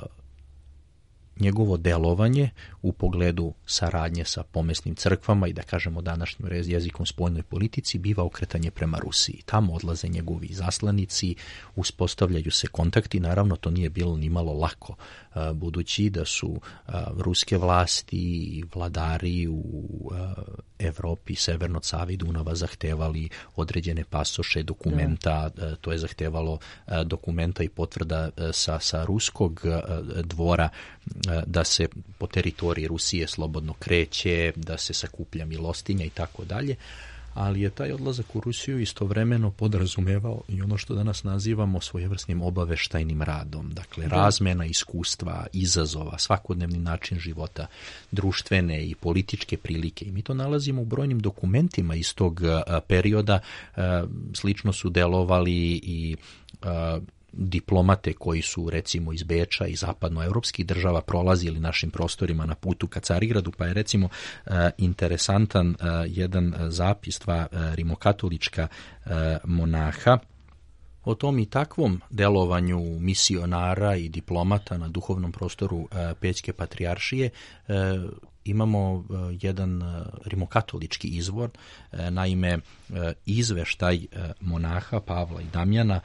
njegovo delovanje u pogledu saradnje sa pomesnim crkvama i da kažemo današnjim jezikom spoljnoj politici biva okretanje prema Rusiji. Tamo odlaze njegovi zaslanici, uspostavljaju se kontakti, naravno to nije bilo ni malo lako, a, budući da su a, ruske vlasti i vladari u a, Evropi, severno od Save i Dunava zahtevali određene pasoše, dokumenta, a, to je zahtevalo a, dokumenta i potvrda a, sa, sa ruskog a, dvora da se po teritoriji Rusije slobodno kreće, da se sakuplja milostinja i tako dalje, ali je taj odlazak u Rusiju istovremeno podrazumevao i ono što danas nazivamo svojevrsnim obaveštajnim radom, dakle razmena iskustva, izazova, svakodnevni način života, društvene i političke prilike. I mi to nalazimo u brojnim dokumentima iz tog perioda, slično su delovali i diplomate koji su recimo iz Beča i zapadnoevropskih država prolazili našim prostorima na putu ka Carigradu, pa je recimo interesantan jedan zapis dva rimokatolička monaha o tom i takvom delovanju misionara i diplomata na duhovnom prostoru Pećke patrijaršije. Imamo jedan rimokatolički izvor, naime izveštaj monaha Pavla i Damjana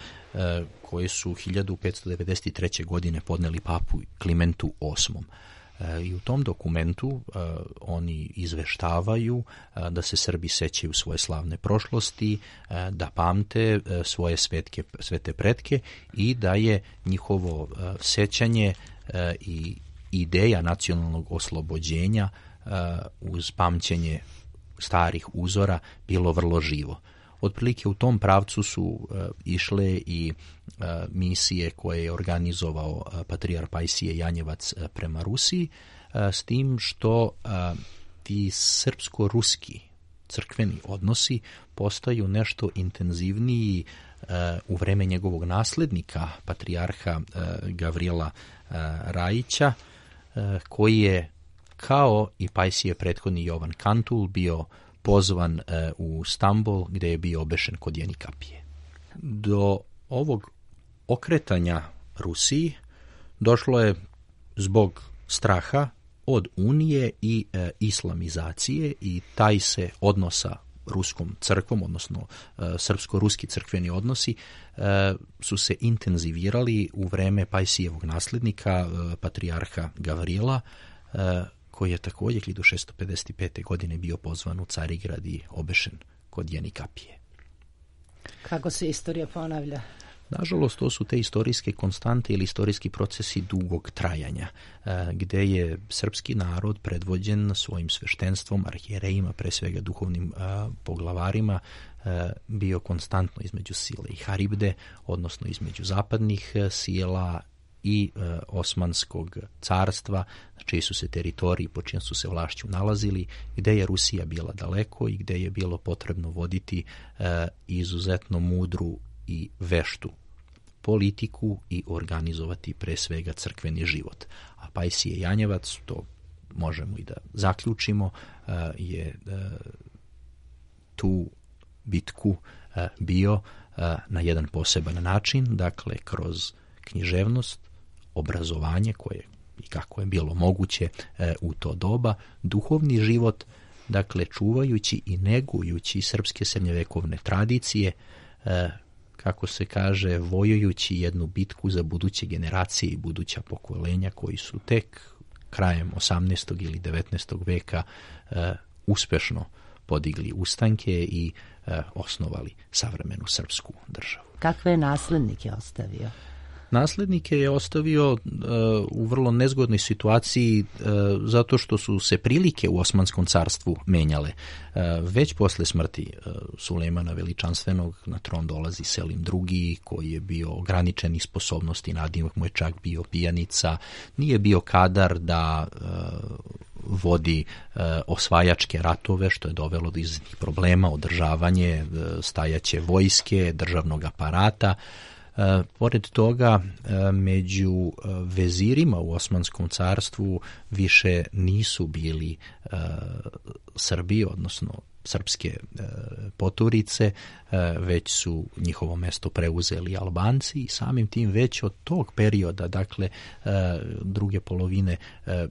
koje su hiljadu petsto devedeset treće. godine podneli papu Klimentu osmom. I u tom dokumentu uh, oni izveštavaju uh, da se Srbi sećaju svoje slavne prošlosti, uh, da pamte uh, svoje svetke, svete pretke i da je njihovo uh, sećanje uh, i ideja nacionalnog oslobođenja uh, uz pamćenje starih uzora bilo vrlo živo. Otprilike u tom pravcu su uh, išle i uh, misije koje je organizovao uh, patrijarh Pajsije Janjevac uh, prema Rusiji, uh, s tim što uh, ti srpsko-ruski crkveni odnosi postaju nešto intenzivniji uh, u vreme njegovog naslednika, patrijarha uh, Gavrijela uh, Rajića, uh, koji je kao i Pajsije prethodni Jovan Kantul bio pozvan e, u Stambol gdje je bio obešen kod Jenikapije. Do ovog okretanja Rusiji došlo je zbog straha od unije i e, islamizacije i taj se odnosa ruskom crkvom, odnosno e, srpsko-ruski crkveni odnosi e, su se intenzivirali u vreme Pajsijevog naslednika, e, patrijarha Gavrila, e, koji je također hiljadu šesto pedeset pete. godine bio pozvan u Carigrad i obešen kod Jenikapije. Kako se istorija ponavlja? Nažalost, to su te istorijske konstante ili istorijski procesi dugog trajanja, gde je srpski narod predvođen svojim sveštenstvom, arhijerejima, pre svega duhovnim poglavarima, bio konstantno između sile i Haribde, odnosno između zapadnih sila i e, Osmanskog carstva, na čiji su se teritoriji, po čijem su se vlašću nalazili, gde je Rusija bila daleko i gde je bilo potrebno voditi e, izuzetno mudru i veštu politiku i organizovati pre svega crkveni život. A Pajsije Janjevac, to možemo i da zaključimo, e, je e, tu bitku e, bio e, na jedan poseban način, dakle kroz književnost, obrazovanje koje i kako je bilo moguće e, u to doba, duhovni život, dakle čuvajući i negujući srpske srednjevekovne tradicije, e, kako se kaže, vojujući jednu bitku za buduće generacije i buduća pokolenja koji su tek krajem osamnaestog ili devetnaestog veka e, uspešno podigli ustanke i e, osnovali savremenu srpsku državu. Kakve je naslednike ostavio? Naslednike je ostavio uh, u vrlo nezgodnoj situaciji uh, zato što su se prilike u Osmanskom carstvu menjale. Uh, već posle smrti uh, Sulejmana Veličanstvenog na tron dolazi Selim drugi, koji je bio ograničenih sposobnosti, nadimak mu je čak bio pijanica, nije bio kadar da uh, vodi uh, osvajačke ratove, što je dovelo do izuzetnih problema, održavanje uh, stajaće vojske, državnog aparata. E, pored toga, e, među vezirima u Osmanskom carstvu više nisu bili e, Srbi, odnosno srpske e, poturice, e, već su njihovo mesto preuzeli Albanci i samim tim već od tog perioda, dakle e, druge polovine e,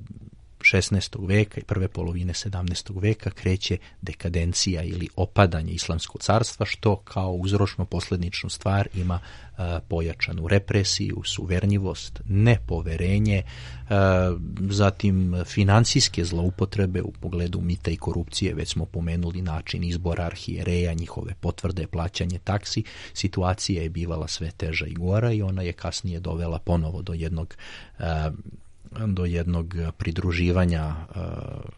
šesnaestog veka i prve polovine sedamnaestog veka kreće dekadencija ili opadanje Islamskog carstva, što kao uzročno-posljedičnu stvar ima uh, pojačanu represiju, suverljivost, nepoverenje, uh, zatim financijske zloupotrebe u pogledu mita i korupcije, već smo pomenuli način izbora arhijereja, njihove potvrde, plaćanje taksi. Situacija je bivala sve teža i gora i ona je kasnije dovela ponovo do jednog uh, do jednog pridruživanja uh,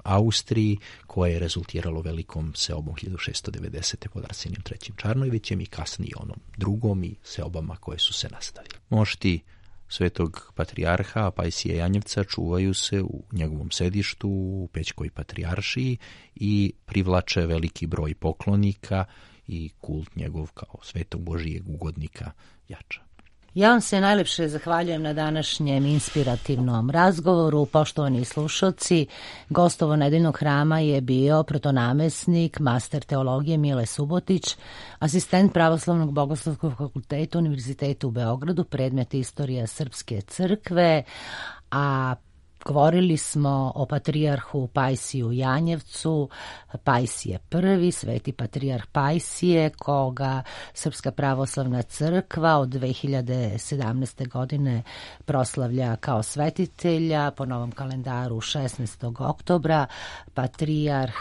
Austriji, koje je rezultiralo velikom seobom hiljadu šesto devedesete pod Arsenijem trećim Čarnojevićem i kasnije onom drugom i seobama koje su se nastavili. Mošti svetog patrijarha Pajsija Janjevca čuvaju se u njegovom sedištu u Pećkoj patrijaršiji i privlače veliki broj poklonika i kult njegov kao svetog Božijeg ugodnika jača. Ja vam se najlepše zahvaljujem na današnjem inspirativnom razgovoru. Poštovani slušalci, gostovo nedeljnog hrama je bio protonamesnik, master teologije Mile Subotić, asistent Pravoslavnog bogoslovskog fakulteta Univerziteta u Beogradu, predmet istorija Srpske crkve, a govorili smo o patrijarhu Pajsiju Janjevcu, Pajsije prvi, sveti patrijarh Pajsije, koga Srpska pravoslavna crkva od dve hiljade sedamnaeste. godine proslavlja kao svetitelja po novom kalendaru šesnaestog oktobra. Patrijarh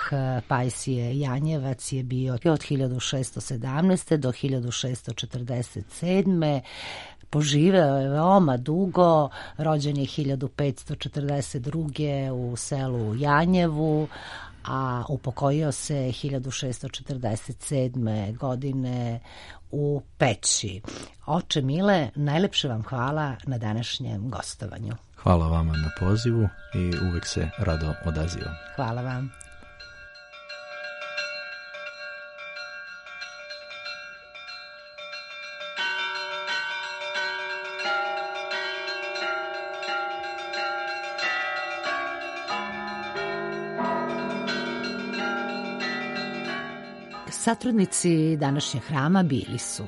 Pajsije Janjevac je bio od hiljadu šesto sedamnaeste. do hiljadu šesto četrdeset sedme. Poživeo je veoma dugo, rođen je hiljadu petsto četrdeset druge. u selu Janjevu, a upokojio se hiljadu šesto četrdeset sedme. godine u Peći. Oče Mile, najlepše vam hvala na današnjem gostovanju. Hvala vama na pozivu i uvek se rado odazivam. Hvala vam. Satrudnici današnjeg hrama bili su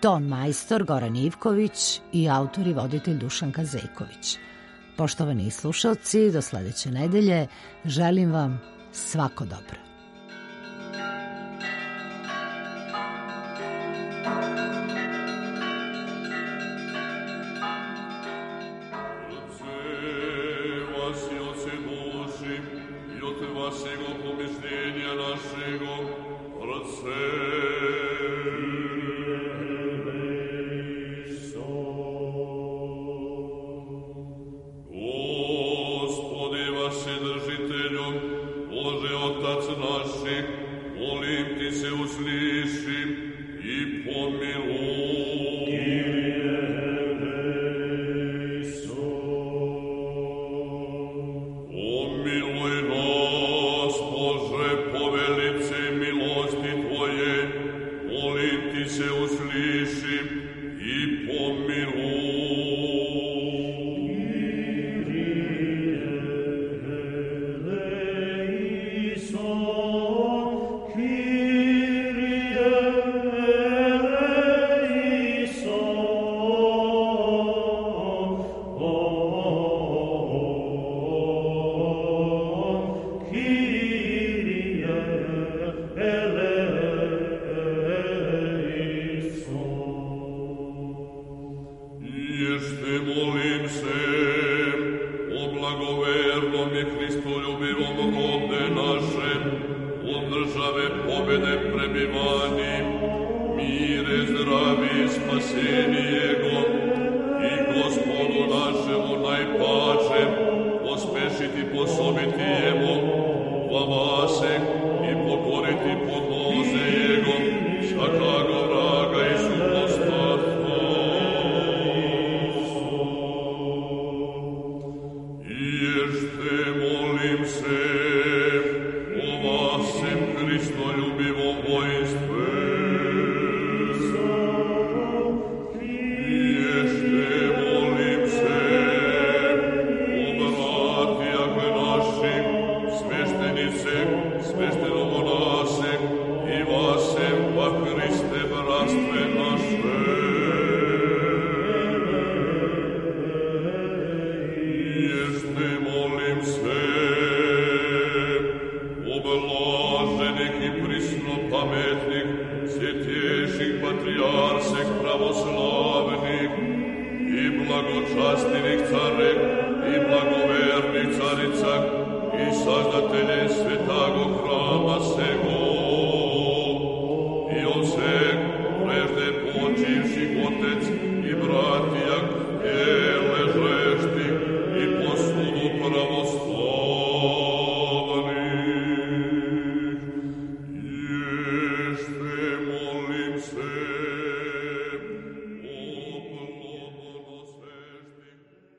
ton majstor Goran Ivković i autor i voditelj Dušanka Zejković. Poštovani slušalci, do sledeće nedelje želim vam svako dobro. I saždatelje svetago hrama sego